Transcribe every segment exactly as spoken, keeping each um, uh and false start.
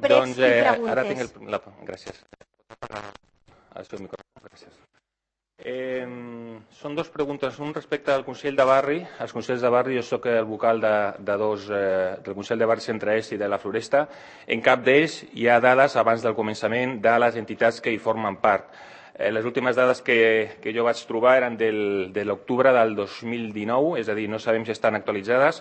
després i preguntes. Ara tinc el... La... Gràcies. El seu micròfon, gràcies. Eh, són dues preguntes. Un respecte al Consell de Barri. Els Consells de Barri, jo soc el vocal de, de dos, eh, del Consell de Barri Centre-Est i de la Floresta. En cap d'ells hi ha dades, abans del començament, de les entitats que hi formen part. Eh, les últimes dades que, que jo vaig trobar eren del, de l'octubre del dos mil dinou, és a dir, no sabem si estan actualitzades.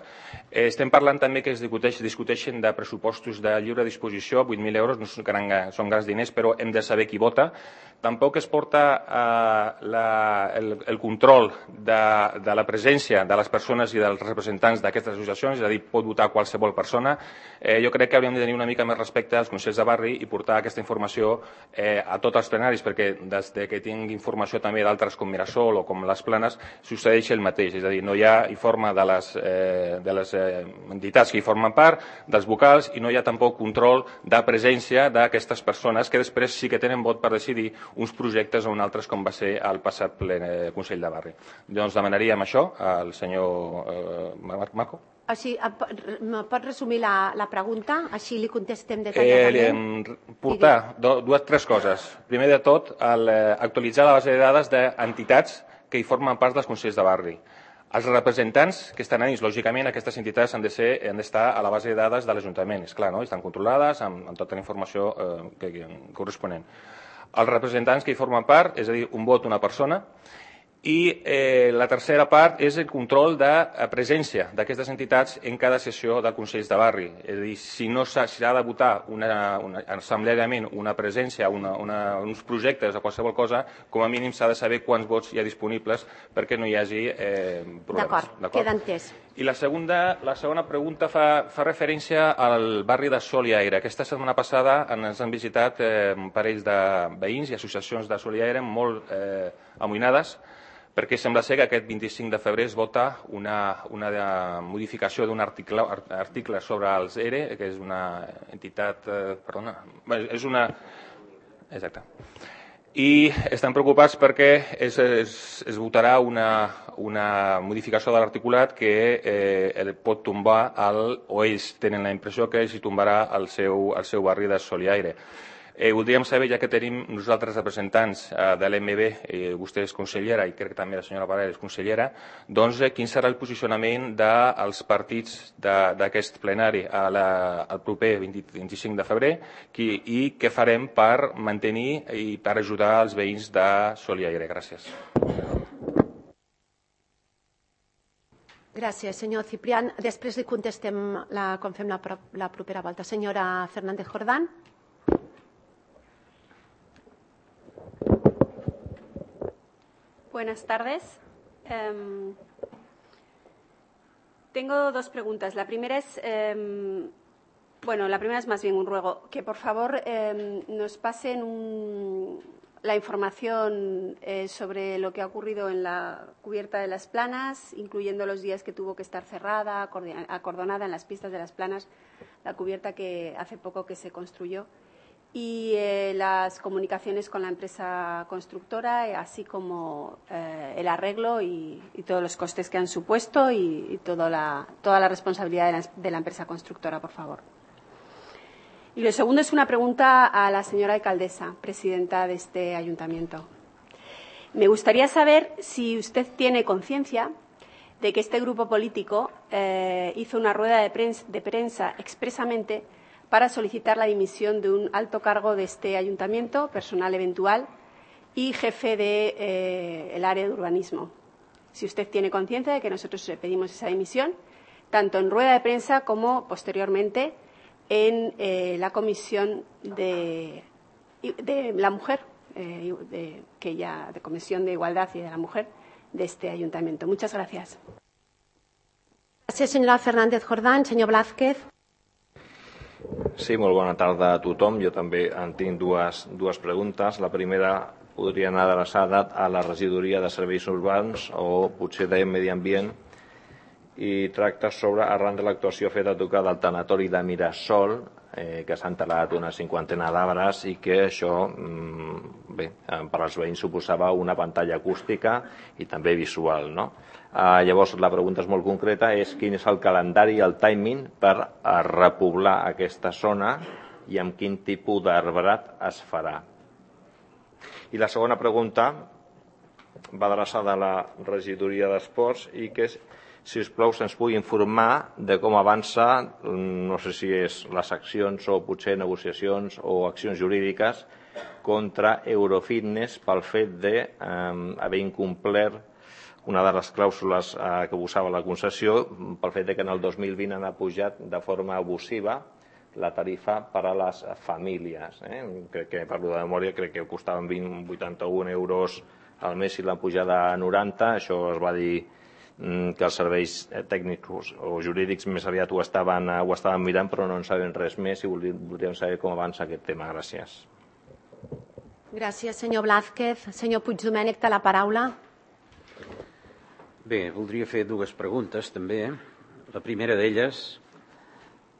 Eh, estem parlant també que es discuteix, discuteixen de pressupostos de lliure disposició, vuit mil euros, no són, gran, són grans diners, però hem de saber qui vota. Tampoc es porta eh, la, el, el control de, de la presència de les persones i dels representants d'aquestes associacions, és a dir, pot votar qualsevol persona. Eh, jo crec que hauríem de tenir una mica més respecte als consells de barri i portar aquesta informació eh, a tots els plenaris, perquè des de que tinc informació també d'altres com Mirasol o com les Planes, succeeix el mateix, és a dir, no hi ha informe de les, eh, de les eh, entitats que hi formen part, dels vocals, i no hi ha tampoc control de presència d'aquestes persones que després sí que tenen vot per decidir uns projectes o un altres, com va ser el passat ple, eh, Consell de Barri. Doncs demanaríem això al senyor eh, Marco. Així, em pot resumir la, la pregunta? Així li contestem detalladament. Eh, portar do, dues, tres coses. Primer de tot, el, eh, actualitzar la base de dades d'entitats que hi formen part dels Consells de Barri. Els representants que estan ahí, lògicament, aquestes entitats han de ser, han d'estar a la base de dades de l'Ajuntament. És clar, no? Estan controlades amb, amb tota la informació eh, que, que, corresponent. Els representants que hi formen part, és a dir, un vot, una persona. I eh, la tercera part és el control de presència d'aquestes entitats en cada sessió de Consells de Barri. És a dir, si no s'ha si de votar una, una, assembleàriament una presència, una, una, uns projectes o qualsevol cosa, com a mínim s'ha de saber quants vots hi ha disponibles perquè no hi hagi eh, problemes. D'acord, queda entès. I la segunda, la segona pregunta fa, fa referència al barri de Sol i Aire. Aquesta setmana passada ens han visitat eh, parells de veïns i associacions de Sol i Aire molt eh, amoïnades, perquè sembla ser que aquest vint-i-cinc de febrer es vota una, una modificació d'un article, article sobre els E R E, que és una entitat... Eh, perdona, és una... Exacte. I estan preocupats perquè es, es, es votarà una, una modificació de l'articulat que eh, pot tombar, el, o ells tenen la impressió que els tombarà el seu, el seu barri de Sol i Aire. Eh, voldríem saber, ja que tenim nosaltres representants eh, de l'M B, eh, vostè és consellera i crec que també la senyora Parera és consellera, doncs eh, quin serà el posicionament dels partits d'aquest plenari a la, al proper vint-i-cinc de febrer qui, i què farem per mantenir i per ajudar els veïns de Sol i Aire. Gràcies. Gràcies, senyor Ciprián. Després li contestem la, com fem la, la propera volta. Senyora Fernández Jordán. Buenas tardes. Eh, tengo dos preguntas. La primera es, eh, bueno, la primera es más bien un ruego, que por favor eh, nos pasen un, la información eh, sobre lo que ha ocurrido en la cubierta de las Planas, incluyendo los días que tuvo que estar cerrada, acordonada en las pistas de las Planas, la cubierta que hace poco que se construyó. Y eh, las comunicaciones con la empresa constructora, eh, así como eh, el arreglo y, y todos los costes que han supuesto y, y toda, la, toda la responsabilidad de la, de la empresa constructora, por favor. Y lo segundo es una pregunta a la señora alcaldesa, presidenta de este ayuntamiento. Me gustaría saber si usted tiene conciencia de que este grupo político eh, hizo una rueda de prensa, de prensa expresamente para solicitar la dimisión de un alto cargo de este ayuntamiento, personal eventual y jefe del de, eh, el área de urbanismo. Si usted tiene conciencia de que nosotros pedimos esa dimisión, tanto en rueda de prensa como posteriormente en eh, la comisión de, de la mujer, eh, de, que ya, de Comisión de Igualdad y de la Mujer de este ayuntamiento. Muchas gracias. Gracias, senyora Fernández Jordán. Senyor Blázquez. Sí, molt bona tarda a tothom. Jo també en tinc dues, dues preguntes. La primera podria anar adreçada a la regidoria de serveis urbans o potser de medi ambient i tracta sobre, arran de l'actuació feta a tocar del tanatori de Mirasol, eh, que s'han talat una cinquantena d'arbres i que això, mm, bé, per als veïns suposava una pantalla acústica i també visual, no? Uh, llavors, la pregunta és molt concreta, és quin és el calendari i el timing per uh, repoblar aquesta zona i amb quin tipus d'arbrat es farà. I la segona pregunta va adreçada a la regidoria d'Esports i que, si us plau, se'ns pugui informar de com avança, no sé si és les accions o potser negociacions o accions jurídiques contra Eurofitness pel fet d'haver incomplert una de les clàusules que posava la concessió, pel fet que en el dos mil vint han pujat de forma abusiva la tarifa per a les famílies. Crec que, parlo de memòria, crec que costaven vuitanta-un euros al mes i l'han pujat a noranta. Això es va dir que els serveis tècnics o jurídics més aviat ho estaven, ho estaven mirant, però no en saben res més i voldríem saber com avança aquest tema. Gràcies. Gràcies, senyor Blázquez. Senyor Puigdomènech, té la paraula. Bé, voldria fer dues preguntes, també. La primera d'elles,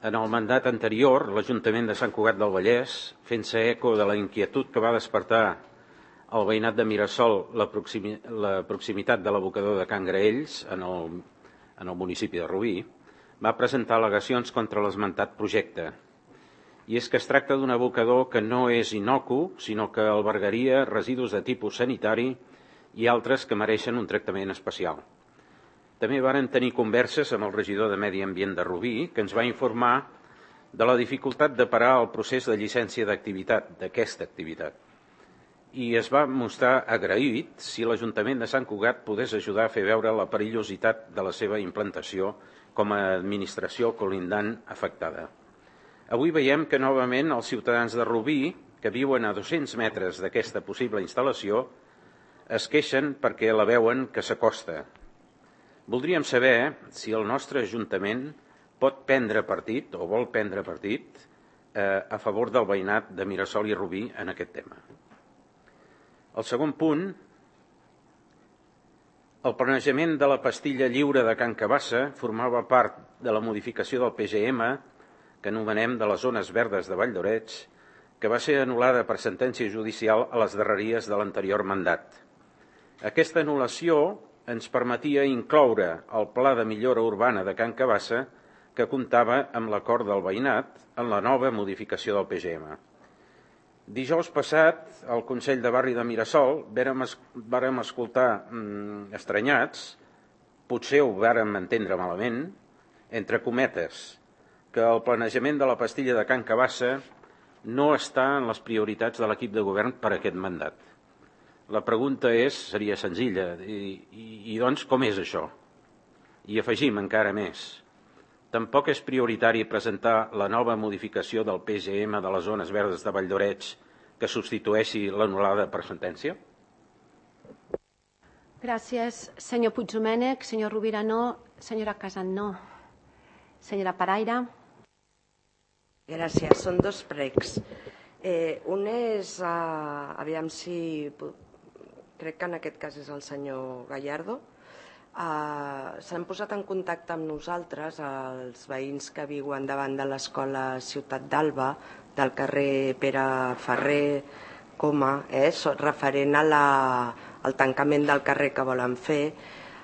en el mandat anterior, l'Ajuntament de Sant Cugat del Vallès, fent-se eco de la inquietud que va despertar el veïnat de Mirasol la, proximi, la proximitat de l'abocador de Can Graells, en el, en el municipi de Rubí, va presentar al·legacions contra l'esmentat projecte. I és que es tracta d'un abocador que no és inocu, sinó que albergaria residus de tipus sanitari i altres que mereixen un tractament especial. També varen tenir converses amb el regidor de Medi Ambient de Rubí, que ens va informar de la dificultat de parar el procés de llicència d'activitat, d'aquesta activitat. I es va mostrar agraït si l'Ajuntament de Sant Cugat pogués ajudar a fer veure la perillositat de la seva implantació com a administració colindant afectada. Avui veiem que novament els ciutadans de Rubí, que viuen a dos-cents metres d'aquesta possible instal·lació, es queixen perquè la veuen que s'acosta. Voldríem saber si el nostre Ajuntament pot prendre partit o vol prendre partit eh, a favor del veïnat de Mirasol i Rubí en aquest tema. El segon punt, el planejament de la pastilla lliure de Can Cabassa formava part de la modificació del P G M, que anomenem de les zones verdes de Valldoreix, que va ser anul·lada per sentència judicial a les darreries de l'anterior mandat. Aquesta anul·lació ens permetia incloure el Pla de Millora Urbana de Can Cabassa, que comptava amb l'acord del veïnat en la nova modificació del P G M. Dijous passat, al Consell de Barri de Mirasol, vàrem escoltar mmm, estranyats, potser ho vàrem entendre malament, entre cometes, que el planejament de la pastilla de Can Cabassa no està en les prioritats de l'equip de govern per a aquest mandat. La pregunta és, seria senzilla, i, i, i doncs com és això? I afegim encara més. Tampoc és prioritari presentar la nova modificació del P G M de les zones verdes de Valldoreix que substitueixi l'anul·lada per sentència? Gràcies, senyor Puigdomènech. Senyor Rovira, no. Senyora Casat, no. Senyora Paraire. Gràcies. Són dos pregs. Eh, un és, uh, aviam si... crec que en aquest cas és el senyor Gallardo, uh, s'han posat en contacte amb nosaltres els veïns que viuen davant de l'escola Ciutat d'Alba, del carrer Pere Ferrer Coma, eh, referent a la, al tancament del carrer que volen fer.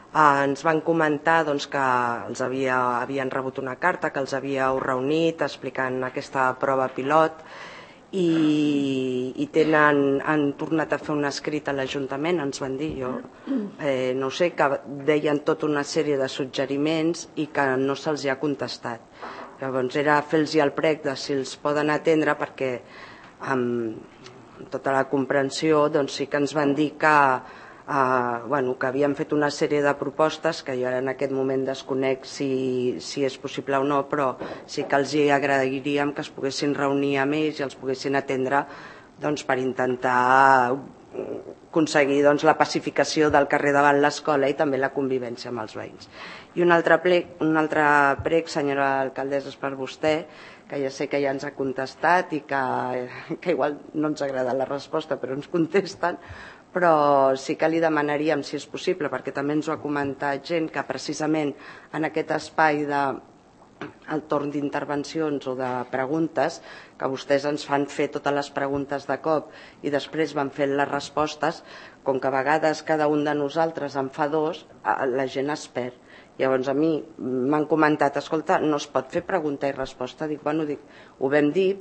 Uh, ens van comentar doncs, que els havia, havien rebut una carta, que els havíeu reunit explicant aquesta prova pilot, i, i tenen, han tornat a fer un escrit a l'Ajuntament, ens van dir, jo eh, no sé, que deien tota una sèrie de suggeriments i que no se'ls ha contestat. Llavors era fer-los el prec de si els poden atendre, perquè amb tota la comprensió doncs sí que ens van dir que Uh, bueno, que havien fet una sèrie de propostes que jo ara en aquest moment desconec si, si és possible o no, però sí que els hi agradaríem que es poguessin reunir amb ells i els poguessin atendre doncs, per intentar aconseguir doncs, la pacificació del carrer davant l'escola i també la convivència amb els veïns. I un altre prec, un altre prec senyora alcaldessa, és per vostè, que ja sé que ja ens ha contestat i que, que igual no ens agrada la resposta, però ens contesten, però sí que li demanaríem, si és possible, perquè també ens ho ha comentat gent, que precisament en aquest espai de el torn d'intervencions o de preguntes, que vostès ens fan fer totes les preguntes de cop i després van fent les respostes, com que a vegades cada un de nosaltres en fa dos, la gent es perd. Llavors a mi m'han comentat, escolta, no es pot fer pregunta i resposta. Dic, bueno, dic, ho vam dir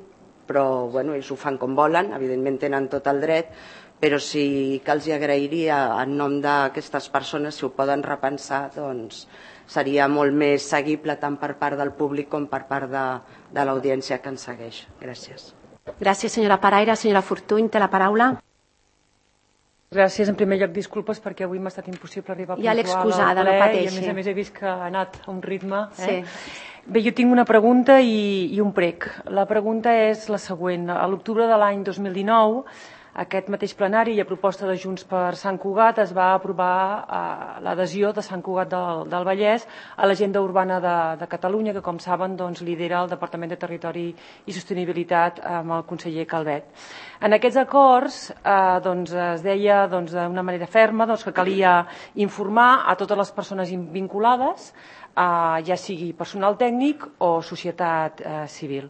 però bueno, ells ho fan com volen, evidentment tenen tot el dret, però sí que els agrairia en nom d'aquestes persones, si ho poden repensar, doncs seria molt més seguible tant per part del públic com per part de, de l'audiència que ens segueix. Gràcies. Gràcies, senyora Paraire. Senyora Fortuny, té la paraula. Gràcies. En primer lloc, disculpes perquè avui m'ha estat impossible arribar ja puntual al ple, no pateixi. I a més a més he vist que ha anat a un ritme. Eh? Sí. Bé, jo tinc una pregunta i, i un prec. La pregunta és la següent. A l'octubre de l'any dos mil dinou, aquest mateix plenari i a proposta de Junts per Sant Cugat es va aprovar eh, l'adhesió de Sant Cugat del, del Vallès a l'agenda urbana de, de Catalunya, que com saben doncs, lidera el Departament de Territori i Sostenibilitat amb el conseller Calvet. En aquests acords eh, doncs, es deia doncs, d'una manera ferma doncs, que calia informar a totes les persones vinculades, Uh, ja sigui personal tècnic o societat uh, civil.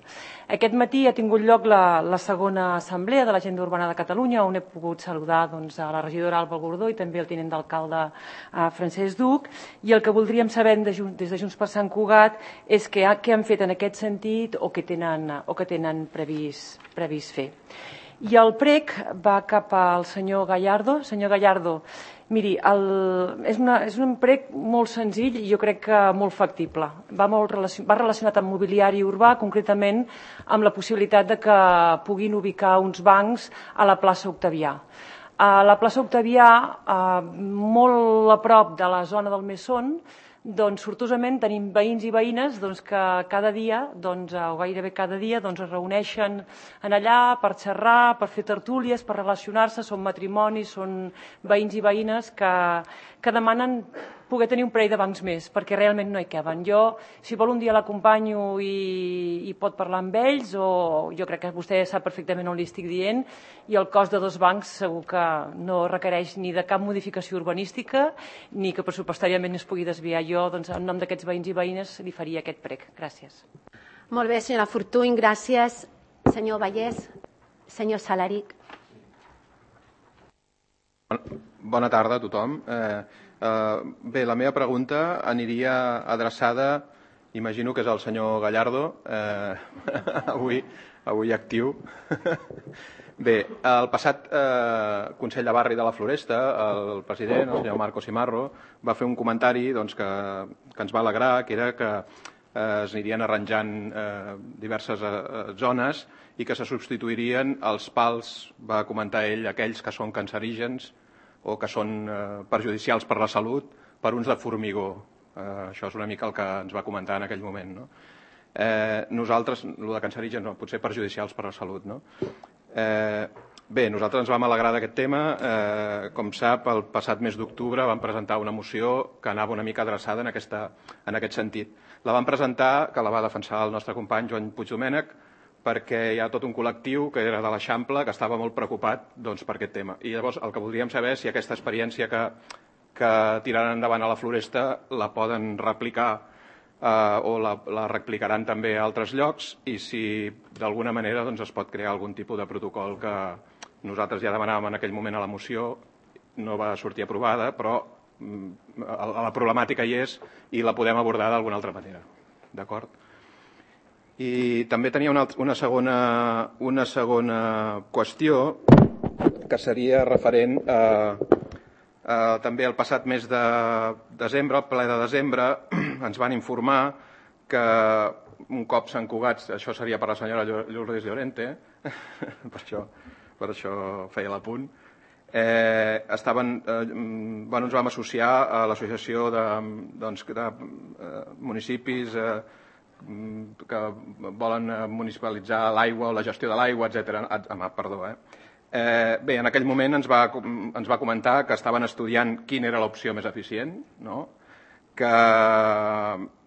Aquest matí ha tingut lloc la, la segona assemblea de l'Agenda Urbana de Catalunya, on he pogut saludar doncs, a la regidora Alba Gordó i també el tinent d'alcalde uh, Francesc Duc, i el que voldríem saber de, des de Junts per Sant Cugat és què, què han fet en aquest sentit o què tenen, o què tenen previst, previst fer. I el prec va cap al senyor Gallardo. Senyor Gallardo, miri, el, és, una, és un prec molt senzill i jo crec que molt factible. Va, molt relacion, va relacionat amb mobiliari urbà, concretament amb la possibilitat de que puguin ubicar uns bancs a la plaça Octavià. A la plaça Octavià, molt a prop de la zona del Mesón, doncs sortosament tenim veïns i veïnes doncs, que cada dia, doncs, o gairebé cada dia, doncs, es reuneixen en allà per xerrar, per fer tertúlies, per relacionar-se, són matrimonis, són veïns i veïnes que, que demanen poder tenir un parell de bancs més, perquè realment no hi caben. Jo, si vol un dia l'acompanyo i, i pot parlar amb ells, o jo crec que vostè sap perfectament on li estic dient, i el cost de dos bancs segur que no requereix ni de cap modificació urbanística, ni que pressupostàriament es pugui desviar. Jo, doncs, en nom d'aquests veïns i veïnes, li faria aquest prec. Gràcies. Molt bé, senyora Fortuny, gràcies. Senyor Vallès, senyor Salaric. Bona tarda a tothom. Eh, eh, bé, la meva pregunta aniria adreçada, imagino que és el senyor Gallardo, eh, avui, avui actiu. Bé, el passat eh, Consell de Barri de la Floresta, el president, el senyor Marco Simarro, va fer un comentari doncs, que, que ens va alegrar, que era que eh, es anirien arranjant eh, diverses eh, zones i que se substituirien els pals, va comentar ell, aquells que són cancerígens o que són eh, perjudicials per la salut, per uns de formigó. Eh, això és una mica el que ens va comentar en aquell moment. No? Eh, nosaltres, el de cancerígens no, potser perjudicials per la salut. No? Eh, bé, nosaltres ens vam alegrar d'aquest tema. Eh, com sap, el passat mes d'octubre vam presentar una moció que anava una mica adreçada en, aquesta, en aquest sentit. La vam presentar, que la va defensar el nostre company Joan Puigdomènech, perquè hi ha tot un col·lectiu que era de l'Eixample que estava molt preocupat doncs, per aquest tema. I llavors el que voldríem saber és si aquesta experiència que, que tiraran endavant a la Floresta la poden replicar eh, o la, la replicaran també a altres llocs i si d'alguna manera doncs, es pot crear algun tipus de protocol que nosaltres ja demanàvem en aquell moment a la moció, no va sortir aprovada, però mm, la problemàtica hi és i la podem abordar d'alguna altra manera. D'acord? I també tenia una, una, segona, una segona qüestió que seria referent a, a també el passat mes de desembre, el ple de desembre, ens van informar que un cop Sant Cugat, això seria per la senyora Lourdes Llorente, per això, per això feia l'apunt, eh, estaven, eh, bueno, ens vam associar a l'associació de, doncs, de eh, municipis eh, que volen municipalitzar l'aigua o la gestió de l'aigua, etcètera. Ah, perdó, eh? Eh, bé, en aquell moment ens va, ens va comentar que estaven estudiant quina era l'opció més eficient, no? que,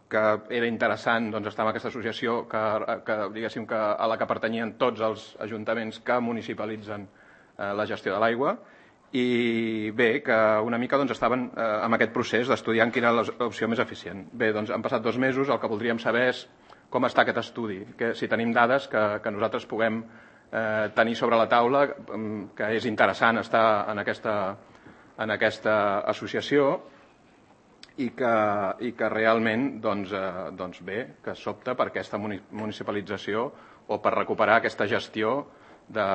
que era interessant doncs, estar en aquesta associació que, que, diguéssim, que, a la que pertanyien tots els ajuntaments que municipalitzen eh, la gestió de l'aigua, i bé, que una mica doncs, estaven eh, amb aquest procés d'estudiant quina era l'opció més eficient. Bé, doncs han passat dos mesos, el que voldríem saber és com està aquest estudi, que si tenim dades que, que nosaltres puguem eh, tenir sobre la taula, que és interessant estar en aquesta, en aquesta associació i que, i que realment doncs, eh, doncs bé, que s'opta per aquesta municipalització o per recuperar aquesta gestió de,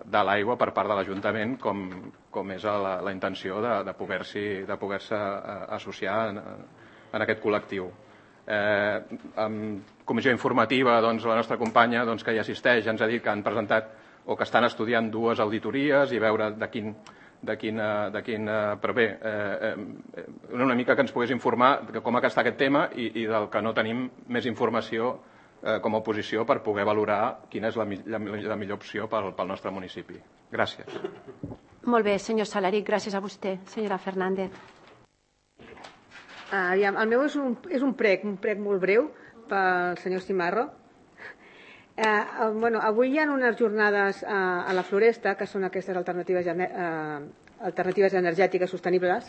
de l'aigua per part de l'Ajuntament, com, com és la, la intenció de, de poder-s'hi de poder-se associar en, en aquest col·lectiu. Eh, en comissió informativa, doncs, la nostra companya doncs, que hi assisteix ens ha dit que han presentat o que estan estudiant dues auditories i veure de quin, de quin, de quin però bé, eh, eh, una mica que ens pogués informar de com està aquest tema i, i del que no tenim més informació eh, com a oposició per poder valorar quina és la, la, la millor opció pel, pel nostre municipi. Gràcies. Molt bé, senyor Salaric, gràcies a vostè. Senyora Fernández. Uh, aviam, el meu és un, és un prec, un prec molt breu pel senyor Cimarro. Eh, bueno, avui hi ha unes jornades eh, a la Floresta, que són aquestes alternatives, eh, alternatives energètiques sostenibles,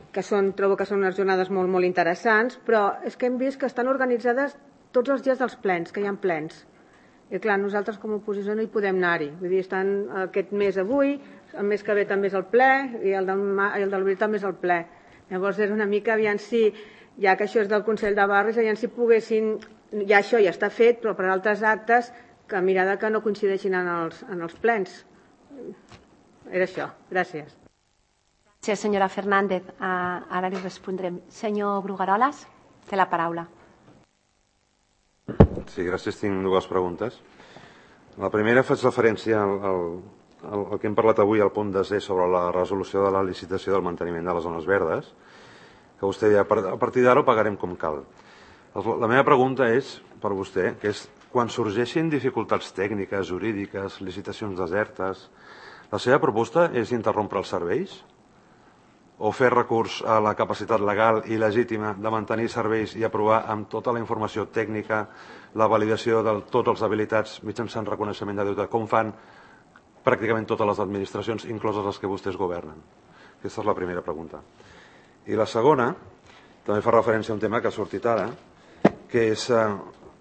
que són, trobo que són unes jornades molt, molt interessants, però és que hem vist que estan organitzades tots els dies dels plens, que hi ha plens. I clar, nosaltres com a oposició no hi podem anar-hi. Vull dir, estan aquest mes avui, el mes que ve també és el ple, i el del, i el del abril també és el ple. Llavors és una mica, aviam si, ja que això és del Consell de Barris, aviam si poguessin... Ja això ja està fet, però per altres actes que mirada que no coincideixin en els, en els plens. Era això. Gràcies. Gràcies, senyora Fernández. Uh, ara li respondrem. Senyor Brugaroles, té la paraula. Sí, gràcies. Tinc dues preguntes. La primera faig referència al, al, al, al que hem parlat avui, al punt desè sobre la resolució de la licitació del manteniment de les zones verdes, que vostè deia, a partir d'ara ho pagarem com cal. La meva pregunta és per vostè, que és, quan sorgeixin dificultats tècniques, jurídiques, licitacions desertes, la seva proposta és interrompre els serveis? O fer recurs a la capacitat legal i legítima de mantenir serveis i aprovar amb tota la informació tècnica la validació de tots els habilitats mitjançant reconeixement de deute, com fan pràcticament totes les administracions, incloses les que vostès governen? Aquesta és la primera pregunta. I la segona, també fa referència a un tema que ha sortit ara, que és eh,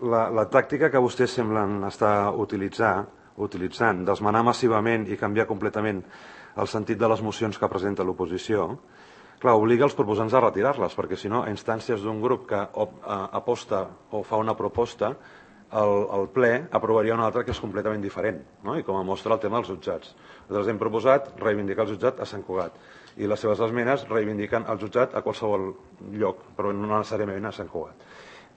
la, la tàctica que vostès semblen estar utilitzar, utilitzant, d'esmenar massivament i canviar completament el sentit de les mocions que presenta l'oposició, clar, obliga els proposants a retirar-les, perquè si no, a instàncies d'un grup que aposta o fa una proposta, el, el ple aprovaria una altra que és completament diferent, no? I com a mostra el tema dels jutjats. Nosaltres hem proposat reivindicar el jutjat a Sant Cugat i les seves esmenes reivindiquen el jutjat a qualsevol lloc, però no necessàriament a Sant Cugat.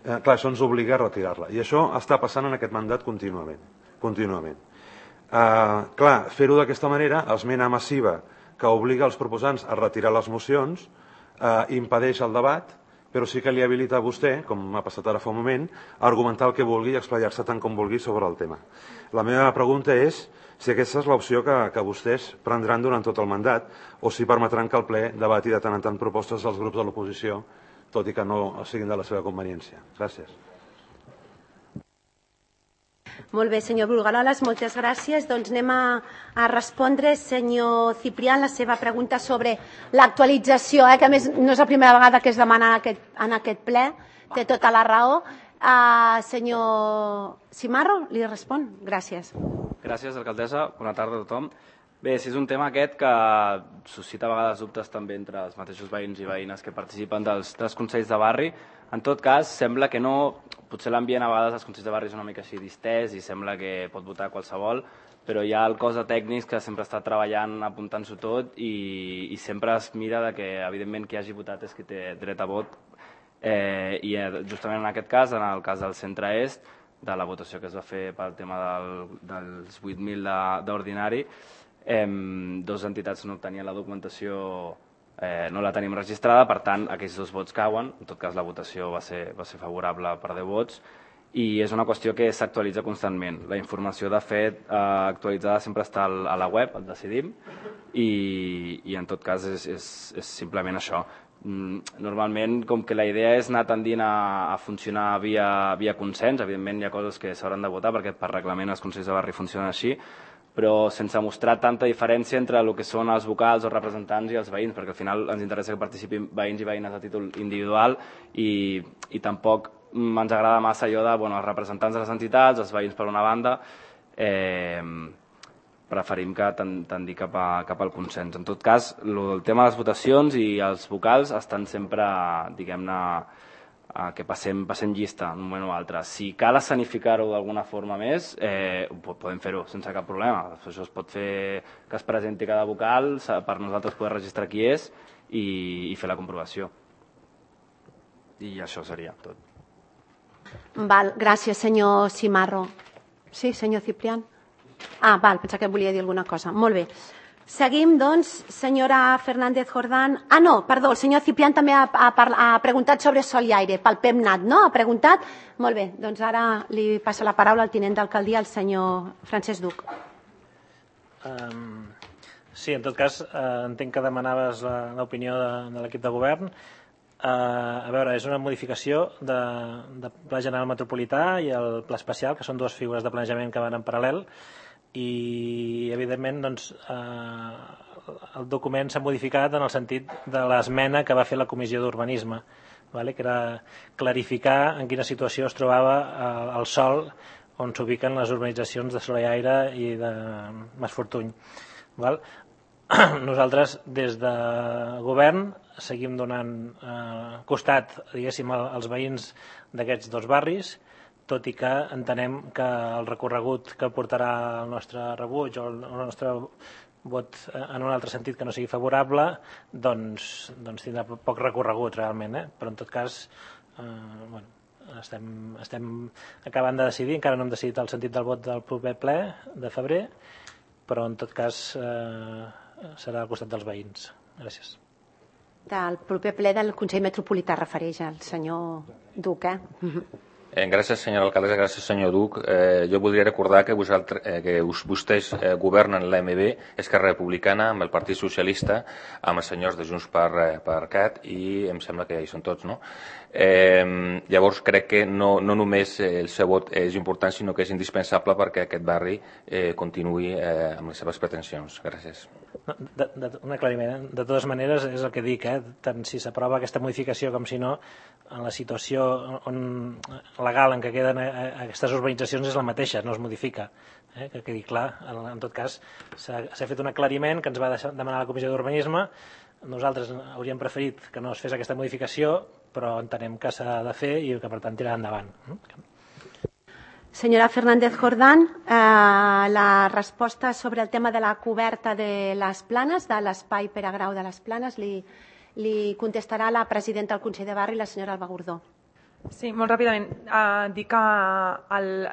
Eh, clar, això ens obliga a retirar-la. I això està passant en aquest mandat contínuament. contínuament. Eh, clar, fer-ho d'aquesta manera, esmena massiva que obliga els proposants a retirar les mocions, eh, impedeix el debat, però sí que li habilita a vostè, com m'ha passat ara fa un moment, a argumentar el que vulgui i explayar-se tant com vulgui sobre el tema. La meva pregunta és si aquesta és l'opció que, que vostès prendran durant tot el mandat o si permetran que el ple debati de tant en tant propostes dels grups de l'oposició, tot i que no siguin de la seva conveniència. Gràcies. Molt bé, senyor Brugaroles, moltes gràcies. Doncs anem a, a respondre, senyor Ciprián, la seva pregunta sobre l'actualització, eh, que a més no és la primera vegada que es demana en aquest, en aquest ple, té tota la raó. Uh, senyor Cimarro, li respon. Gràcies. Gràcies, alcaldessa. Bona tarda a tothom. Bé, si és un tema aquest que suscita a vegades dubtes també entre els mateixos veïns i veïnes que participen dels, dels consells de barri. En tot cas, sembla que no... Potser l'ambient a vegades als consells de barri és una mica així distès i sembla que pot votar qualsevol, però hi ha el cos de tècnics que sempre està treballant, apuntant-s'ho tot i, i sempre es mira de que, evidentment, qui hagi votat és qui té dret a vot. Eh, I justament en aquest cas, en el cas del centre-est, de la votació que es va fer pel tema del, dels vuit mil d'ordinari, Eh, dos entitats no tenien la documentació, eh, no la tenim registrada, per tant aquells dos vots cauen. En tot cas la votació va ser, va ser favorable per deu vots i és una qüestió que s'actualitza constantment. La informació de fet eh, actualitzada sempre està a la web, el Decidim, i, i en tot cas és, és, és simplement això. Normalment, com que la idea és anar tendint a, a funcionar via, via consens, evidentment hi ha coses que s'hauran de votar perquè per reglament els consells de barri funcionen així, però sense mostrar tanta diferència entre el que són els vocals, els representants i els veïns, perquè al final ens interessa que participin veïns i veïnes a títol individual i, i tampoc ens agrada massa allò de bueno, els representants de les entitats, els veïns per una banda, eh, preferim que tendir cap, a, cap al consens. En tot cas, el tema de les votacions i els vocals estan sempre, diguem-ne, que passem, passem llista en un moment o altre. Si cal escenificar-ho d'alguna forma més, eh, podem fer-ho sense cap problema. Això es pot fer que es presenti cada vocal, per nosaltres poder registrar qui és i, i fer la comprovació. I això seria tot. Val, gràcies, senyor Cimarro. Sí, senyor Ciprián? Ah, val, pensava que volia dir alguna cosa. Molt bé. Seguim, doncs, senyora Fernández Jordán. Ah, no, perdó, el senyor Ciprián també ha, ha, ha preguntat sobre sol i aire, pel PEMNAT, no? Ha preguntat? Molt bé, doncs ara li passa la paraula al tinent d'alcaldia, el senyor Francesc Duc. Um, sí, en tot cas, uh, entenc que demanaves l'opinió de, de l'equip de govern. Uh, a veure, és una modificació de, de Pla General Metropolità i el Pla Especial, que són dues figures de planejament que van en paral·lel, i evidentment doncs, eh, el document s'ha modificat en el sentit de l'esmena que va fer la Comissió d'Urbanisme, vale? Que era clarificar en quina situació es trobava eh, el sòl on s'ubiquen les urbanitzacions de Soler i Aire i de Mas Fortuny. Val? Nosaltres des de govern seguim donant eh, costat, diguéssim, als veïns d'aquests dos barris, tot i que entenem que el recorregut que portarà el nostre rebuig o el nostre vot en un altre sentit que no sigui favorable, doncs, doncs tindrà poc recorregut realment, eh? Però en tot cas eh, bueno, estem, estem acabant de decidir, encara no hem decidit el sentit del vot del proper ple de febrer, però en tot cas eh, serà al costat dels veïns. Gràcies. Del proper ple del Consell Metropolità refereix al senyor Duc, eh? Eh, gràcies, senyora alcaldessa, gràcies, senyor Duc. Eh, jo voldria recordar que, vosaltres, eh, que vostès eh, governen l'A M B, Esquerra Republicana, amb el Partit Socialista, amb els senyors de Junts per, eh, per Cat, i em sembla que ja hi són tots, no? Eh, llavors crec que no, no només el seu vot és important, sinó que és indispensable perquè aquest barri eh, continuï eh, amb les seves pretensions. Gràcies. De, de, un aclariment. De totes maneres, és el que dic, eh? Tant si s'aprova aquesta modificació com si no, en la situació on, legal en què queden aquestes urbanitzacions és la mateixa, no es modifica. Eh? Que quedi clar. En, en tot cas, s'ha fet un aclariment que ens va deixar, demanar la Comissió d'Urbanisme. Nosaltres hauríem preferit que no es fes aquesta modificació, però entenem que s'ha de fer i que, per tant, tirar endavant. Senyora Fernández Jordán, eh, la resposta sobre el tema de la coberta de les planes, de l'espai per a grau de les planes, li, li contestarà la presidenta del Consell de Barri, la senyora Alba Gordó. Sí, molt ràpidament. Uh, dir que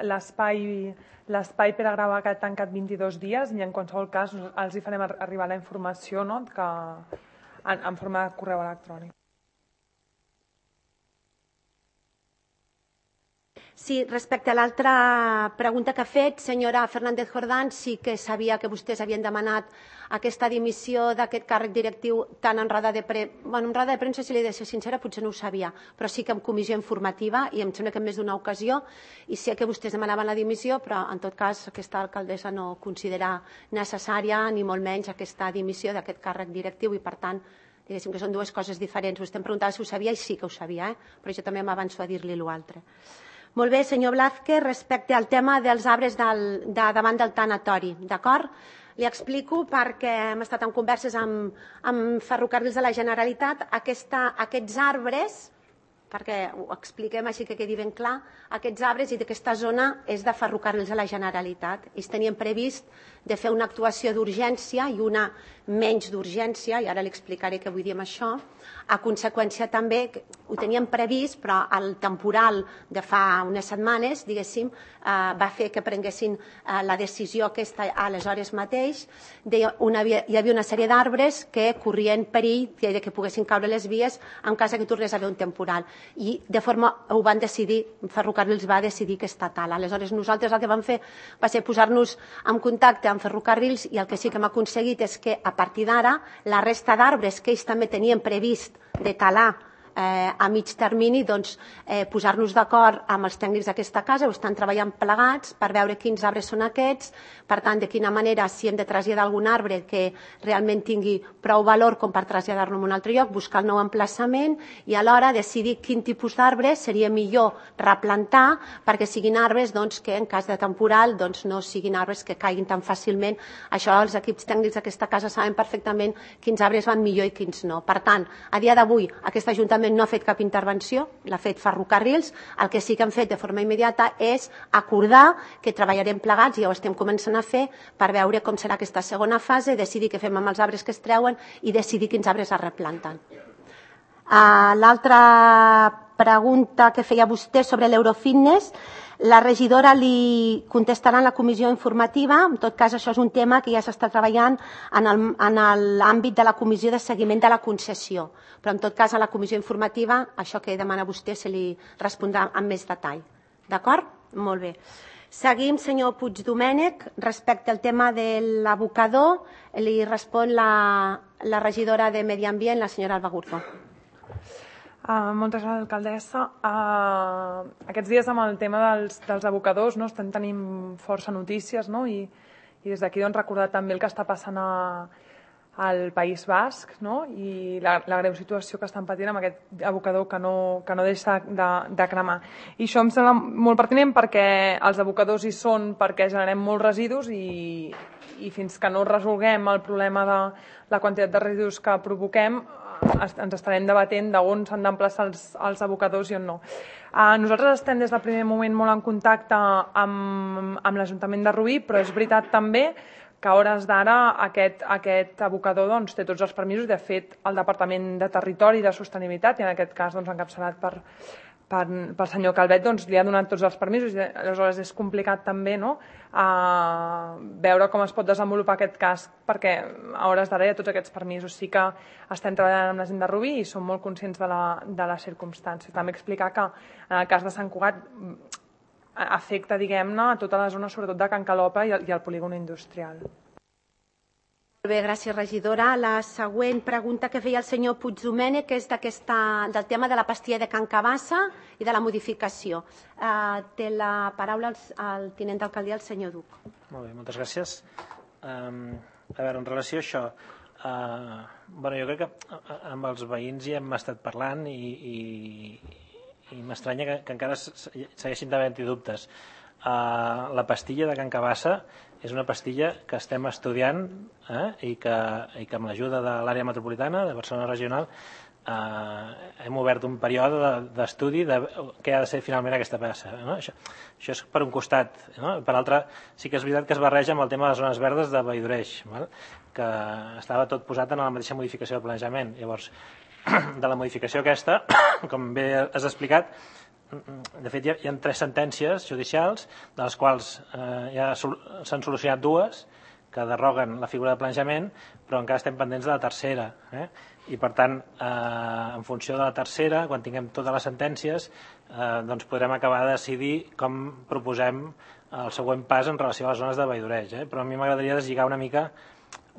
l'espai l'espai per a grau ha tancat vint-i-dos dies i en qualsevol cas els hi farem arribar la informació, no? Que, en, en forma de correu electrònic. Sí, respecte a l'altra pregunta que ha fet, senyora Fernández Jordán, sí que sabia que vostès havien demanat aquesta dimissió d'aquest càrrec directiu tant en roda de premsa, bueno, en roda de premsa, si li he de ser sincera, potser no ho sabia, però sí que en comissió informativa, i em sembla que en més d'una ocasió, i sé que vostès demanaven la dimissió, però en tot cas aquesta alcaldessa no considera necessària ni molt menys aquesta dimissió d'aquest càrrec directiu i per tant, diguéssim que són dues coses diferents. Vostè em preguntava si ho sabia i sí que ho sabia, eh? Però jo també m'avanço a dir-li l'altre. Molt bé, senyor Blázquez, respecte al tema dels arbres del, de davant del tanatori, d'acord? Li explico perquè hem estat en converses amb, amb Ferrocarrils de la Generalitat. Aquesta, aquests arbres, perquè ho expliquem així que quedi ben clar, aquests arbres i d'aquesta zona és de Ferrocarrils de la Generalitat. Ells tenien previst de fer una actuació d'urgència i una menys d'urgència, i ara li explicaré què vull dir amb això. A conseqüència també, ho teníem previst, però el temporal de fa unes setmanes, diguéssim, eh, va fer que prenguessin eh, la decisió aquesta aleshores mateix. De una, hi havia una sèrie d'arbres que corrien perill de que poguessin caure les vies en cas que tornés a haver un temporal. I de forma, ho van decidir, Ferrocarrils va decidir aquesta tala. Aleshores nosaltres el que vam fer va ser posar-nos en contacte amb Ferrocarrils i el que sí que hem aconseguit és que a partir d'ara la resta d'arbres que ells també tenien previst de talar eh, a mig termini, doncs, eh, posar-nos d'acord amb els tècnics d'aquesta casa, ho estan treballant plegats per veure quins arbres són aquests, per tant, de quina manera, si hem de traslladar algun arbre que realment tingui prou valor com per traslladar-lo a un altre lloc, buscar el nou emplaçament i alhora decidir quin tipus d'arbre seria millor replantar perquè siguin arbres doncs, que en cas de temporal doncs, no siguin arbres que caiguin tan fàcilment. Això els equips tècnics d'aquesta casa saben perfectament quins arbres van millor i quins no. Per tant, a dia d'avui, aquest Ajuntament l'Ajuntament no ha fet cap intervenció, l'ha fet Ferrocarrils. El que sí que hem fet de forma immediata és acordar que treballarem plegats, i ja ho estem començant a fer, per veure com serà aquesta segona fase, decidir què fem amb els arbres que es treuen i decidir quins arbres es replanten. L'altra pregunta que feia vostè sobre l'Eurofitness, la regidora li contestarà en la comissió informativa. En tot cas, això és un tema que ja s'està treballant en l'àmbit de la comissió de seguiment de la concessió. Però, en tot cas, a la comissió informativa, això que demana vostè se li respondrà amb més detall. D'acord? Molt bé. Seguim, senyor Puigdomènech. Respecte al tema de l'abocador, li respon la regidora de Medi Ambient, la senyora Alba Gurdó. Uh, moltes gràcies, alcaldessa. Uh, aquests dies amb el tema dels, dels abocadors, no, estem tenint força notícies, no? I, i des d'aquí doncs, recordar també el que està passant a, al País Basc, no? I la, la greu situació que estan patint amb aquest abocador que no, que no deixa de, de cremar. I això em sembla molt pertinent perquè els abocadors hi són perquè generem molts residus i, i fins que no resolguem el problema de la quantitat de residus que provoquem, ens estarem debatent d'on s'han d'emplaçar els, els abocadors i on no. Uh, nosaltres estem des del primer moment molt en contacte amb, amb l'Ajuntament de Rubí, però és veritat també que a hores d'ara aquest, aquest abocador doncs, té tots els permisos. De fet, el Departament de Territori i de Sostenibilitat, i en aquest cas doncs, encapçalat per, per, pel senyor Calvet, doncs, li ha donat tots els permisos. I aleshores és complicat també, no? Uh, veure com es pot desenvolupar aquest cas, perquè a hores d'ara hi ha tots aquests permisos. Sí que estem treballant amb la gent de Rubí i som molt conscients de, la, de les circumstàncies. També explicar que en el cas de Sant Cugat afecta, diguem-ne, a tota la zona, sobretot de Can Calopa i el, i el polígon industrial. Molt bé, gràcies, regidora. La següent pregunta que feia el senyor Puigdomènech, que és del tema de la pastilla de Can Cabassa i de la modificació. Uh, té la paraula el, el tinent d'alcaldia, el senyor Duc. Molt bé, moltes gràcies. Um, a veure, en relació a això, uh, bueno, jo crec que amb els veïns hi hem estat parlant i, i, i m'estranya que, que encara segueixin d'haver-hi dubtes. Uh, la pastilla de Can Cabassa és una pastilla que estem estudiant eh, i, que, i que amb l'ajuda de l'àrea metropolitana, de Barcelona Regional, eh, hem obert un període d'estudi de, de què ha de ser finalment aquesta passa. No? Això, això és per un costat. No? Per l'altre, sí que és veritat que es barreja amb el tema de les zones verdes de Valldoreig, val? Que estava tot posat en la mateixa modificació del planejament. Llavors, de la modificació aquesta, com bé has explicat, de fet, hi ha tres sentències judicials, de les quals eh, ja s'han solucionat dues, que derroguen la figura de planejament, però encara estem pendents de la tercera. Eh? I, per tant, eh, en funció de la tercera, quan tinguem totes les sentències, eh, doncs podrem acabar de decidir com proposem el següent pas en relació a les zones de Valldoreig. Eh? Però a mi m'agradaria deslligar una mica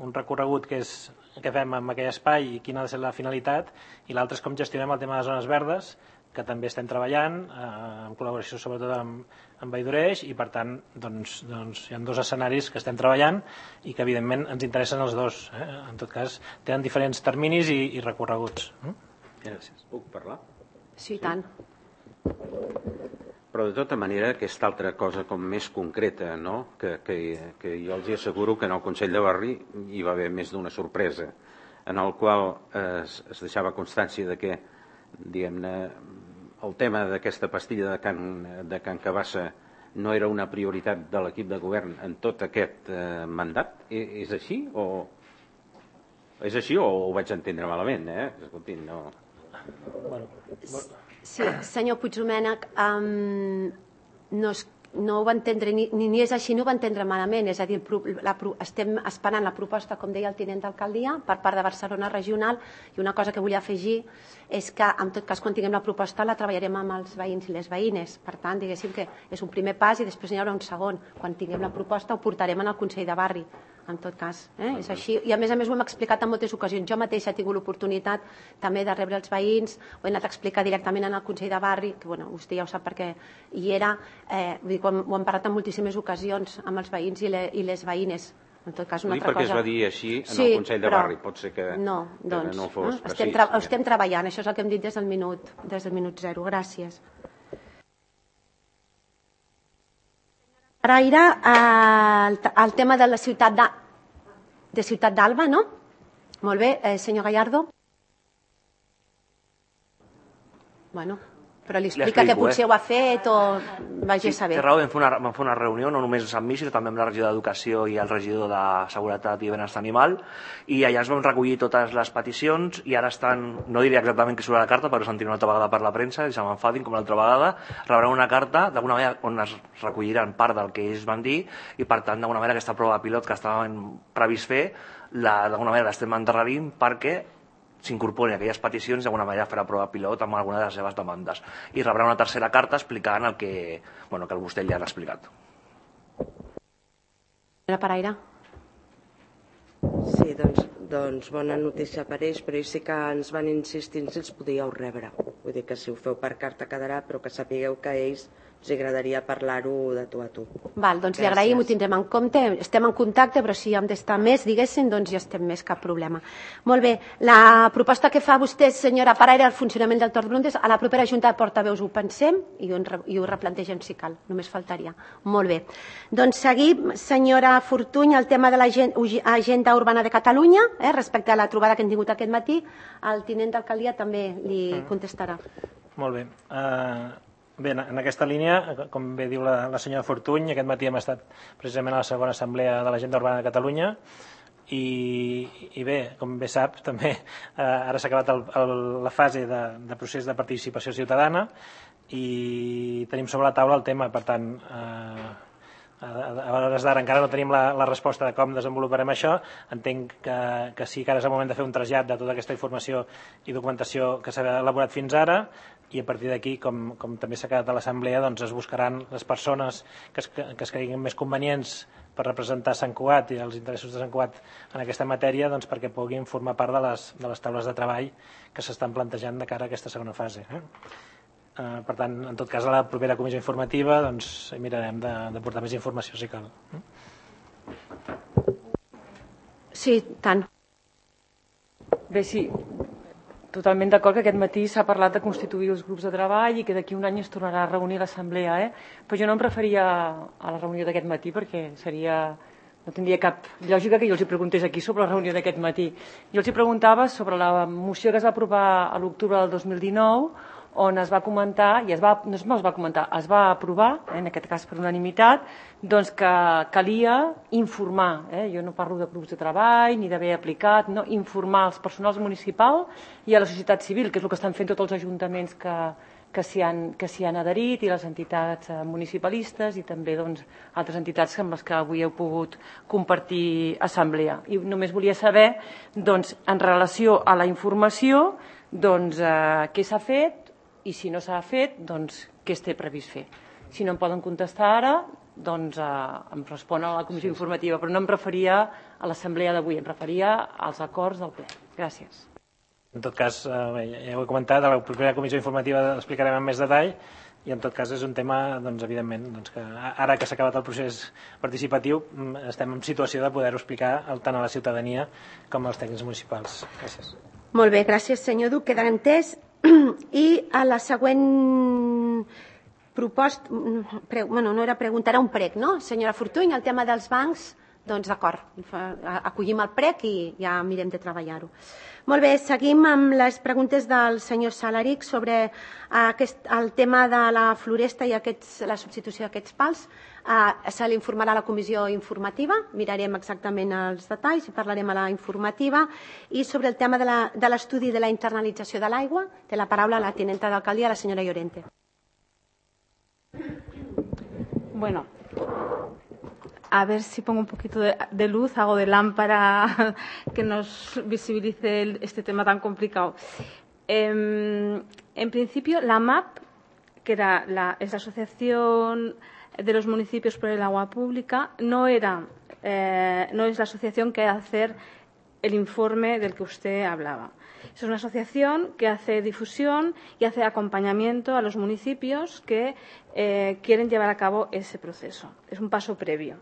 un recorregut que, és, que fem amb aquell espai i quina ha de ser la finalitat, i l'altre és com gestionem el tema de les zones verdes, que també estem treballant, eh, en col·laboració sobretot amb, amb Valldoreig, i per tant doncs, doncs, hi ha dos escenaris que estem treballant i que evidentment ens interessen els dos. Eh? En tot cas, tenen diferents terminis i, i recorreguts. Mm? Gràcies. Puc parlar? Sí, i tant. Però de tota manera, aquesta altra cosa com més concreta, no? que, que, que jo els asseguro que en el Consell de Barri hi va haver més d'una sorpresa, en el qual es, es deixava constància de que, diguem-ne, el tema d'aquesta pastilla de Can, de Can Cabassa no era una prioritat de l'equip de govern en tot aquest eh, mandat. És, és així o és així o ho vaig entendre malament, eh? Escolti, no... Bueno, sí, senyor Puigdomènech, um, no, es, no ho va entendre, ni, ni és així, no ho va entendre malament. És a dir, la, estem esperant la proposta, com deia el tinent d'alcaldia, per part de Barcelona Regional, i una cosa que vull afegir és que, en tot cas, quan tinguem la proposta la treballarem amb els veïns i les veïnes. Per tant, diguéssim que és un primer pas i després n'hi haurà un segon. Quan tinguem la proposta ho portarem en el Consell de Barri, en tot cas. Eh? És així. I a més a més ho hem explicat en moltes ocasions. Jo mateixa he tingut l'oportunitat també de rebre els veïns, ho he anat a explicar directament en el Consell de Barri, que bueno, vostè ja ho sap perquè hi era, eh, vull dir, ho hem parlat en moltíssimes ocasions amb els veïns i, le, i les veïnes. En tot cas, una altra perquè cosa... es va dir així en sí, el Consell de però... Barri, pot ser que no, doncs, no fos eh? estem, tra... estem treballant, això és el que hem dit des del minut, des del minut zero. Gràcies. Ara era eh, el, el tema de la ciutat de, de Ciutat d'Alba, no? Molt bé, eh, senyor Gallardo. Bueno, però li explica que potser ho ha fet o vagi a saber. Té raó, vam fer, una, vam fer una reunió, no només amb mi, sinó també amb la regidor d'Educació i el regidor de Seguretat i Benestar Animal, i allà es van recollir totes les peticions i ara estan, no diré exactament què surt a la carta, però s'han tingut una altra vegada per la premsa i se m'enfadin com l'altra vegada, rebran una carta d'alguna manera on es recolliran part del que ells van dir i per tant d'alguna manera aquesta prova pilot que estàvem previst fer, d'alguna manera l'estem endarrerint perquè s'incorporin aquelles peticions i d'alguna manera fer la prova pilot amb alguna de les seves demandes. I rebrà una tercera carta explicant el que, bueno, que vostè li ha explicat. Senyora Paraire. Sí, doncs, doncs bona notícia per ells, però ells sí que ens van insistir si els podíeu rebre. Vull dir que si ho feu per carta quedarà, però que sapigueu que a ells els agradaria parlar-ho de tu a tu. Val, doncs li agraïm, ho tindrem en compte, estem en contacte, però si hem d'estar més, diguéssim, doncs ja estem més, cap problema. Molt bé, la proposta que fa vostè, senyora Paraire, el funcionament del torn de preguntes, a la propera Junta de Portaveus ho pensem i ho, i ho replantegem si cal, només faltaria. Molt bé. Doncs seguim, senyora Fortuny, el tema de l'agenda urbana de Catalunya, eh, respecte a la trobada que hem tingut aquest matí, el tinent d'alcaldia també li contestarà. Molt bé. Uh... Bé, en aquesta línia, com bé diu la, la senyora Fortuny, aquest matí hem estat precisament a la segona assemblea de l'Agenda Urbana de Catalunya i, i bé, com bé sap, també eh, ara s'ha acabat el, el, la fase de, de procés de participació ciutadana i tenim sobre la taula el tema, per tant, eh, a hores d'ara encara no tenim la, la resposta de com desenvoluparem això. Entenc que, que sí que ara és el moment de fer un trasllat de tota aquesta informació i documentació que s'ha elaborat fins ara i a partir d'aquí, com, com també s'ha quedat a l'assemblea, doncs es buscaran les persones que es, que es creguin més convenients per representar Sant Cugat i els interessos de Sant Cugat en aquesta matèria, doncs perquè puguin formar part de les, de les taules de treball que s'estan plantejant de cara a aquesta segona fase. Eh? Uh, per tant, en tot cas, a la propera comissió informativa doncs, mirarem de, de portar més informació si cal. Sí, tant. Bé, sí, totalment d'acord que aquest matí s'ha parlat de constituir els grups de treball i que d'aquí un any es tornarà a reunir l'assemblea, eh? Però jo no em referia a la reunió d'aquest matí perquè seria... no tindria cap lògica que jo els hi preguntés aquí sobre la reunió d'aquest matí. Jo els hi preguntava sobre la moció que es va aprovar a l'octubre del dos mil dinou on es va comentar, i es va, no es va comentar, es va aprovar, eh, en aquest cas per unanimitat, doncs que calia informar, eh, jo no parlo de grups de treball ni d'haver aplicat, no, informar als personals municipals i a la societat civil, que és el que estan fent tots els ajuntaments que, que s'hi han, que s'hi han adherit i les entitats municipalistes i també doncs, altres entitats amb les que avui heu pogut compartir assemblea. I només volia saber, doncs, en relació a la informació, doncs, eh, què s'ha fet i si no s'ha fet, doncs, què es té previst fer. Si no em poden contestar ara, doncs eh, em respon a la comissió informativa, però no em referia a l'assemblea d'avui, em referia als acords del ple. Gràcies. En tot cas, eh, ja ho he comentat, a la propera comissió informativa l'explicarem amb més detall i en tot cas és un tema, doncs, evidentment, doncs, que ara que s'ha acabat el procés participatiu estem en situació de poder-ho explicar tant a la ciutadania com als tècnics municipals. Gràcies. Molt bé, gràcies senyor Duc, queda entès. I a la següent proposta, bueno, no era pregunta, era un prec, no? Senyora Fortuny, el tema dels bancs, doncs d'acord, acollim el prec i ja mirem de treballar-ho. Molt bé, seguim amb les preguntes del senyor Salaric sobre aquest, el tema de la floresta i aquests, la substitució d'aquests pals. Uh, se l'informarà a la comissió informativa, mirarem exactament els detalls i parlarem a la informativa. I sobre el tema de l'estudi de, de la internalització de l'aigua, té la paraula la tinenta d'alcaldia, la senyora Llorente. Bueno, a ver si pongo un poquito de, de luz, hago de lámpara que nos visibilice el, este tema tan complicado. Eh, en principio, la M A P, que era la, es la Asociación de los Municipios por el Agua Pública, no, era, eh, no es la asociación que va a hacer el informe del que usted hablaba. Es una asociación que hace difusión y hace acompañamiento a los municipios que eh, quieren llevar a cabo ese proceso. Es un paso previo.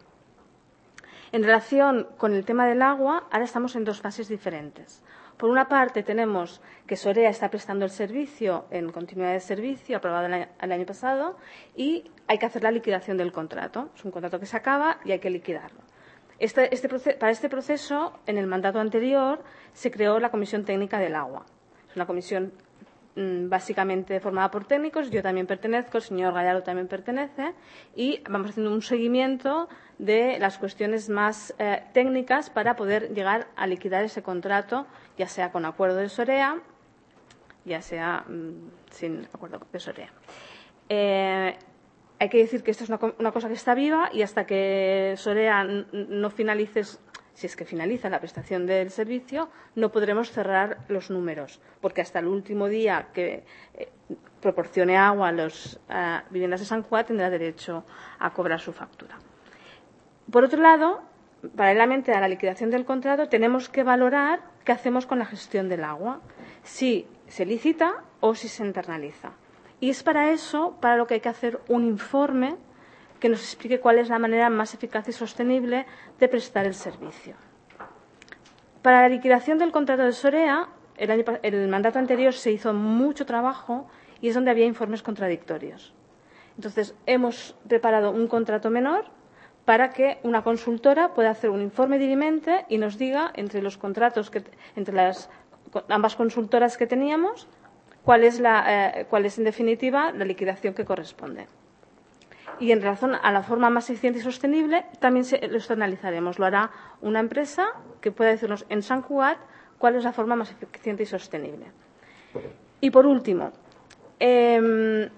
En relación con el tema del agua, ahora estamos en dos fases diferentes. Por una parte, tenemos que Sorea está prestando el servicio en continuidad de servicio, aprobado el año, el año pasado, y hay que hacer la liquidación del contrato. Es un contrato que se acaba y hay que liquidarlo. Este, este proceso, para este proceso, en el mandato anterior, se creó la Comisión Técnica del Agua. Es una comisión básicamente formada por técnicos, yo también pertenezco, el señor Gallardo también pertenece, y vamos haciendo un seguimiento de las cuestiones más eh, técnicas para poder llegar a liquidar ese contrato, ya sea con acuerdo de SOREA, ya sea mmm, sin acuerdo de SOREA. Eh, hay que decir que esto es una, una cosa que está viva y hasta que SOREA no finalice, si es que finaliza la prestación del servicio, no podremos cerrar los números, porque hasta el último día que eh, proporcione agua a las uh, viviendas de Sant Cugat tendrá derecho a cobrar su factura. Por otro lado, paralelamente a la liquidación del contrato, tenemos que valorar qué hacemos con la gestión del agua, si se licita o si se internaliza. Y es para eso para lo que hay que hacer un informe que nos explique cuál es la manera más eficaz y sostenible de prestar el servicio. Para la liquidación del contrato de SOREA, el, año, el mandato anterior se hizo mucho trabajo y es donde había informes contradictorios. Entonces, hemos preparado un contrato menor para que una consultora pueda hacer un informe dirimente y nos diga, entre los contratos, que, entre las ambas consultoras que teníamos, cuál es, la, eh, cuál es en definitiva la liquidación que corresponde. Y en relación a la forma más eficiente y sostenible, también se, lo externalizaremos. Lo hará una empresa que pueda decirnos en Sant Cugat cuál es la forma más eficiente y sostenible. Y por último, eh,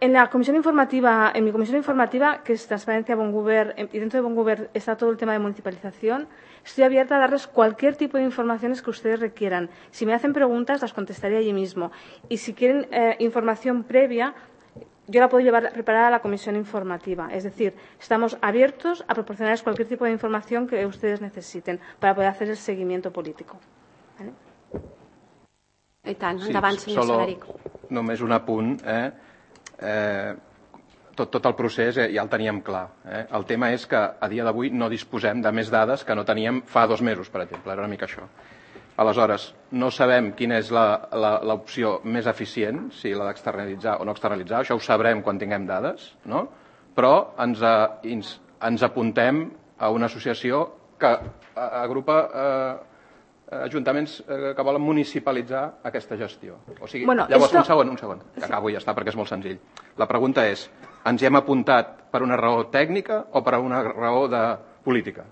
en la comisión informativa, en mi comisión informativa, que es Transparencia Bon Govern, y dentro de Bon Govern está todo el tema de municipalización, estoy abierta a darles cualquier tipo de informaciones que ustedes requieran. Si me hacen preguntas, las contestaré allí mismo. Y si quieren eh, información previa, yo la puedo llevar preparada a la comisión informativa. Es decir, estamos abiertos a proporcionarles cualquier tipo de información que ustedes necesiten para poder hacer el seguimiento político. ¿Vale? I tant, sí, endavant, senyor solo, Salaric. Només un apunt. Eh? Eh, tot, tot el procés eh, ja el teníem clar. Eh? El tema és que a dia d'avui no disposem de més dades que no teníem fa dos mesos, per exemple. Era una mica això. Aleshores, no sabem quina és l'opció més eficient, si la d'externalitzar o no externalitzar, això ho sabrem quan tinguem dades, no? Però ens, ens, ens apuntem a una associació que agrupa eh, ajuntaments eh, que volen municipalitzar aquesta gestió. O sigui, bueno, llavors, esto... un segon, un segon, que acabo i ja està, perquè és molt senzill. La pregunta és, ens hi hem apuntat per una raó tècnica o per una raó de política?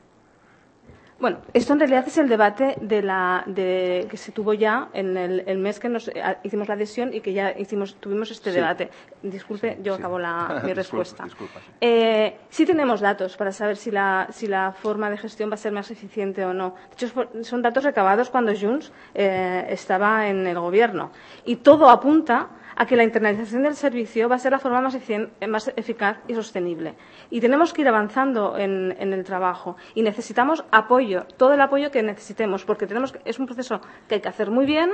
Bueno, esto en realidad es el debate de la, de, que se tuvo ya en el, el mes que nos hicimos la adhesión y que ya hicimos, tuvimos este sí. debate. Disculpe, yo sí. acabo la, mi respuesta. Disculpa, disculpa, sí. Eh, sí tenemos datos para saber si la, si la forma de gestión va a ser más eficiente o no. De hecho, son datos recabados cuando Junts eh, estaba en el gobierno. Y todo apunta a que la internalización del servicio va a ser la forma más, más eficaz y sostenible. Y tenemos que ir avanzando en, en el trabajo. Y necesitamos apoyo, todo el apoyo que necesitemos, porque tenemos, es un proceso que hay que hacer muy bien.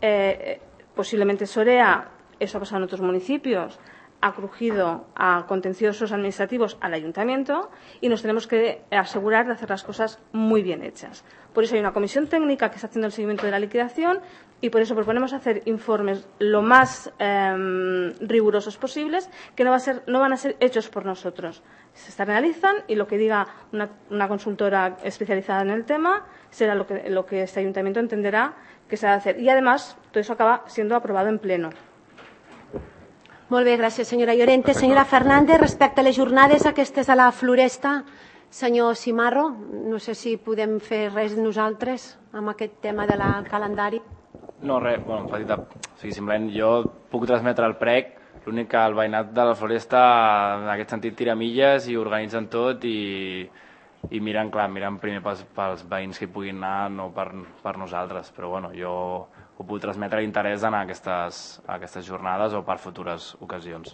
Eh, posiblemente SOREA, eso ha pasado en otros municipios, ha crujido a contenciosos administrativos al ayuntamiento y nos tenemos que asegurar de hacer las cosas muy bien hechas. Por eso hay una comisión técnica que está haciendo el seguimiento de la liquidación y por eso proponemos hacer informes lo más eh, rigurosos posibles, que no, va a ser, no van a ser hechos por nosotros. Se externalizan y lo que diga una, una consultora especializada en el tema será lo que, lo que este ayuntamiento entenderá que se ha de hacer. Y además, todo eso acaba siendo aprobado en pleno. Molt bé, gràcies, senyora Llorente. Senyora Fernández, respecte a les jornades aquestes a la Floresta, senyor Cimarro, no sé si podem fer res nosaltres amb aquest tema del calendari. No, res, bueno, petita, o sigui, simplement jo puc transmetre el prec, l'únic que el veïnat de la Floresta en aquest sentit tira milles i organitzen tot i, i miren, clar, miren primer pels, pels veïns que hi puguin anar, no per, per nosaltres, però bueno, jo ho puc transmetre l'interès d'anar a aquestes, a aquestes jornades o per futures ocasions.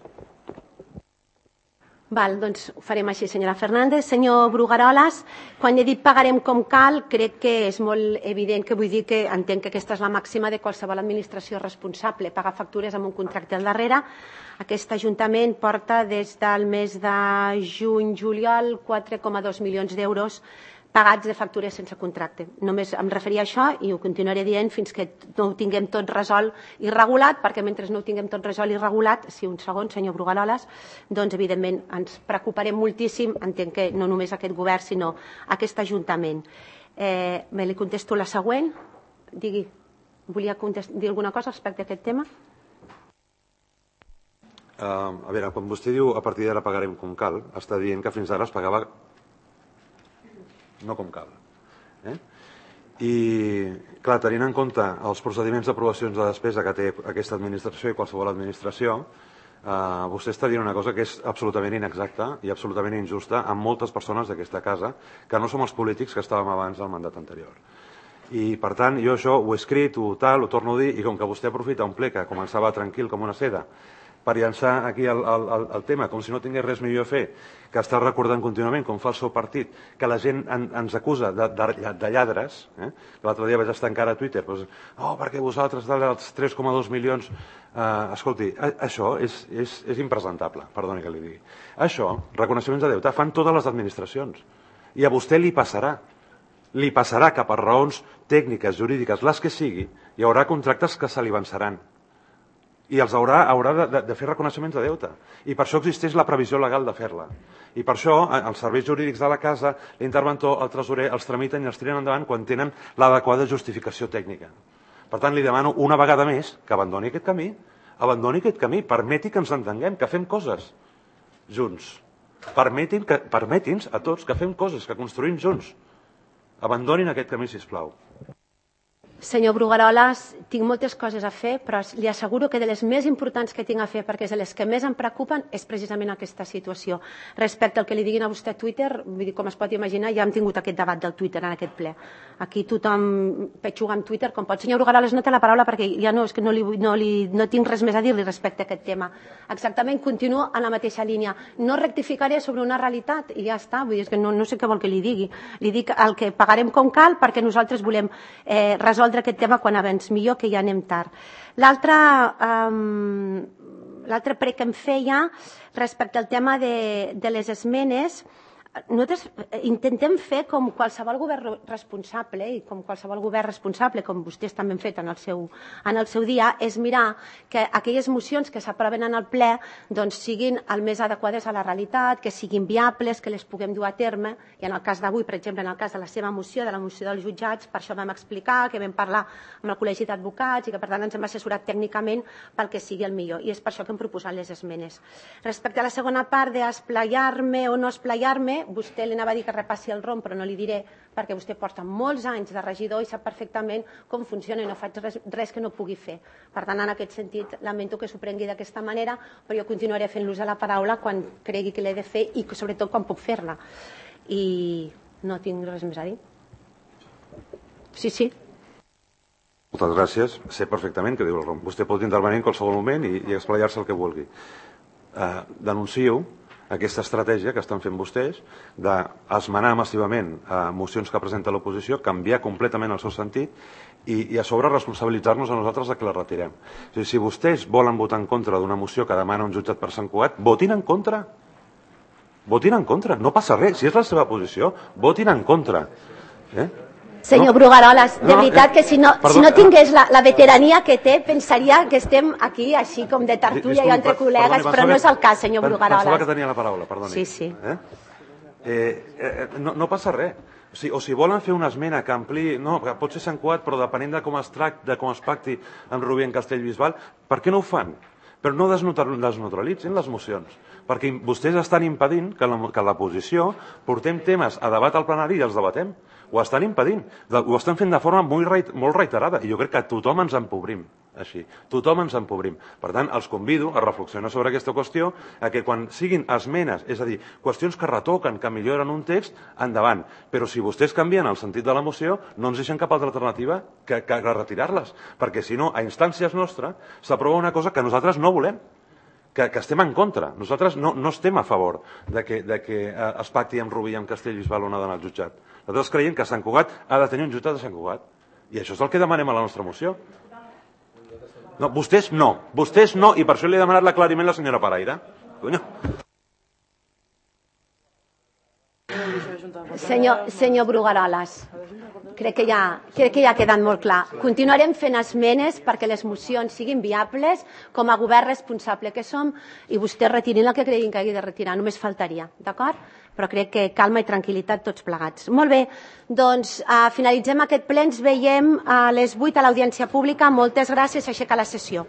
Val, doncs ho farem així, senyora Fernández. Senyor Brugaroles, quan he dit pagarem com cal, crec que és molt evident que vull dir que entenc que aquesta és la màxima de qualsevol administració responsable, pagar factures amb un contracte al darrere. Aquest Ajuntament porta des del mes de juny-juliol quatre coma dos milions d'euros pagats de factures sense contracte. Només em referia a això i ho continuaré dient fins que no ho tinguem tot resolt i regulat, perquè mentre no ho tinguem tot resolt i regulat, si un segon, senyor Brugaroles, doncs evidentment ens preocuparem moltíssim, entenc que no només aquest govern, sinó aquest Ajuntament. Eh, me li contesto la següent. Digui. volia dir alguna cosa respecte a aquest tema? Uh, a veure, quan vostè diu a partir d'ara pagarem com cal, està dient que fins ara es pagava no com cal. Eh? I, clar, tenint en compte els procediments d'aprovacions de despesa que té aquesta administració i qualsevol administració, uh, vostè està dient una cosa que és absolutament inexacta i absolutament injusta amb moltes persones d'aquesta casa, que no som els polítics que estàvem abans del mandat anterior. I, per tant, jo això ho he escrit, ho tal, ho torno a dir, i com que vostè aprofita un ple que començava tranquil com una seda, per llançar aquí el, el, el tema, com si no tingués res millor a fer, que està recordant contínuament, com fa el seu partit, que la gent en, ens acusa de, de, de lladres. Eh? L'altre dia vaig estar encara a Twitter, doncs, oh, perquè vosaltres dels tres coma dos milions... Eh, escolti, a, això és, és, és impresentable, perdoni que li digui. Això, reconeixements de deute, fan totes les administracions. I a vostè li passarà. Li passarà que per raons tècniques, jurídiques, les que sigui, hi haurà contractes que se li avançaran. I els haurà, haurà de, de fer reconeixements de deute. I per això existeix la previsió legal de fer-la. I per això els serveis jurídics de la casa, l'interventor, el tresorer, els tramiten i els tiren endavant quan tenen l'adequada justificació tècnica. Per tant, li demano una vegada més que abandoni aquest camí, abandoni aquest camí, permeti que ens entenguem, que fem coses junts. Permetin que, permeti'ns a tots que fem coses, que construïm junts. Abandonin aquest camí, sisplau. Senyor Brugueroles, tinc moltes coses a fer, però li asseguro que de les més importants que tinc a fer, perquè és de les que més em preocupen, és precisament aquesta situació. Respecte al que li diguin a vostè a Twitter, vull dir, com es pot imaginar, ja hem tingut aquest debat del Twitter en aquest ple. Aquí tothom petxuga amb Twitter com pot. Senyor Brugueroles, no té la paraula perquè ja no, és que no, li, no, li, no tinc res més a dir-li respecte a aquest tema. Exactament, continuo en la mateixa línia. No rectificaré sobre una realitat i ja està, vull dir, és que no, no sé què vol que li digui. Li dic el que pagarem com cal perquè nosaltres volem eh, resoldre aquest tema quan abans millor, que ja anem tard. L'altre um, l'altre prec que em feia respecte al tema de, de les esmenes, nosaltres intentem fer com qualsevol govern responsable i com qualsevol govern responsable, com vostès també han fet en el seu, en el seu dia, és mirar que aquelles mocions que s'aproven en el ple doncs, siguin el més adequades a la realitat, que siguin viables, que les puguem dur a terme. I en el cas d'avui, per exemple, en el cas de la seva moció, de la moció dels jutjats, per això vam explicar que vam parlar amb el Col·legi d'Advocats i que per tant ens hem assessorat tècnicament pel que sigui el millor. I és per això que hem proposat les esmenes. Respecte a la segona part d'esplayar-me o no esplayar-me, vostè li anava a dir que repassi el rom, però no li diré perquè vostè porta molts anys de regidor i sap perfectament com funciona i no faig res, res que no pugui fer. Per tant, en aquest sentit, lamento que s'ho prengui d'aquesta manera, però jo continuaré fent l'ús de la paraula quan cregui que l'he de fer i sobretot quan puc fer-la. I no tinc res més a dir. Sí, sí. Moltes gràcies. Sé perfectament què diu el rom. Vostè pot intervenir en qualsevol moment i, i explayar-se el que vulgui. Uh, denuncio aquesta estratègia que estan fent vostès d'esmenar massivament a mocions que presenta l'oposició, canviar completament el seu sentit i, i a sobre responsabilitzar-nos a nosaltres de que la retirem. O sigui, si vostès volen votar en contra d'una moció que demana un jutjat per Sant Cugat, votin en contra. Votin en contra. No passa res. Si és la seva posició, votin en contra. Eh? Senyor no? Brugueroles, de no, veritat que si no, perdó, si no tingués la, la veterania que té, pensaria que estem aquí així com de tertúlia i entre col·legues, però no és el cas, senyor Brugueroles. Pensava que tenia la paraula, perdoni. Sí, sí. Eh? Eh, eh, no, no passa res. O, sigui, o si volen fer una esmena que ampliï, no, que pot ser Sant Cugat, però depenent de com es tracti, de com es pacti amb Rubí en Castellbisbal, per què no ho fan? Però no desneutralitzin les mocions, perquè vostès estan impedint que la, que la posició portem temes a debat al plenari i els debatem. Ho estan impedint, ho estan fent de forma molt, reit, molt reiterada i jo crec que tothom ens empobrim així, tothom ens empobrim. Per tant, els convido a reflexionar sobre aquesta qüestió, a que quan siguin esmenes, és a dir, qüestions que retoquen, que milloren un text, endavant. Però si vostès canvien el sentit de la moció, no ens deixen cap altra alternativa que, que retirar-les, perquè si no, a instàncies nostres, s'aprova una cosa que nosaltres no volem. Que, que estem en contra. Nosaltres no, no estem a favor de que, de que eh, es pacti amb Rubí i amb Castellbisbal una d'anar al jutjat. Nosaltres creiem que Sant Cugat ha de tenir un jutjat de Sant Cugat. I això és el que demanem a la nostra moció. No, vostès no. Vostès no, i per això li he demanat l'aclariment a la senyora Paraire. Coño. Senyor, senyor Brugueroles, crec que, ja, crec que ja ha quedat molt clar. Continuarem fent esmenes perquè les mocions siguin viables com a govern responsable que som i vostès retirin el que creguin que hagi de retirar, només faltaria, d'acord? però crec que calma i tranquil·litat tots plegats. Molt bé, doncs finalitzem aquest ple, ens veiem a les vuit a l'audiència pública. Moltes gràcies, aixeca la sessió.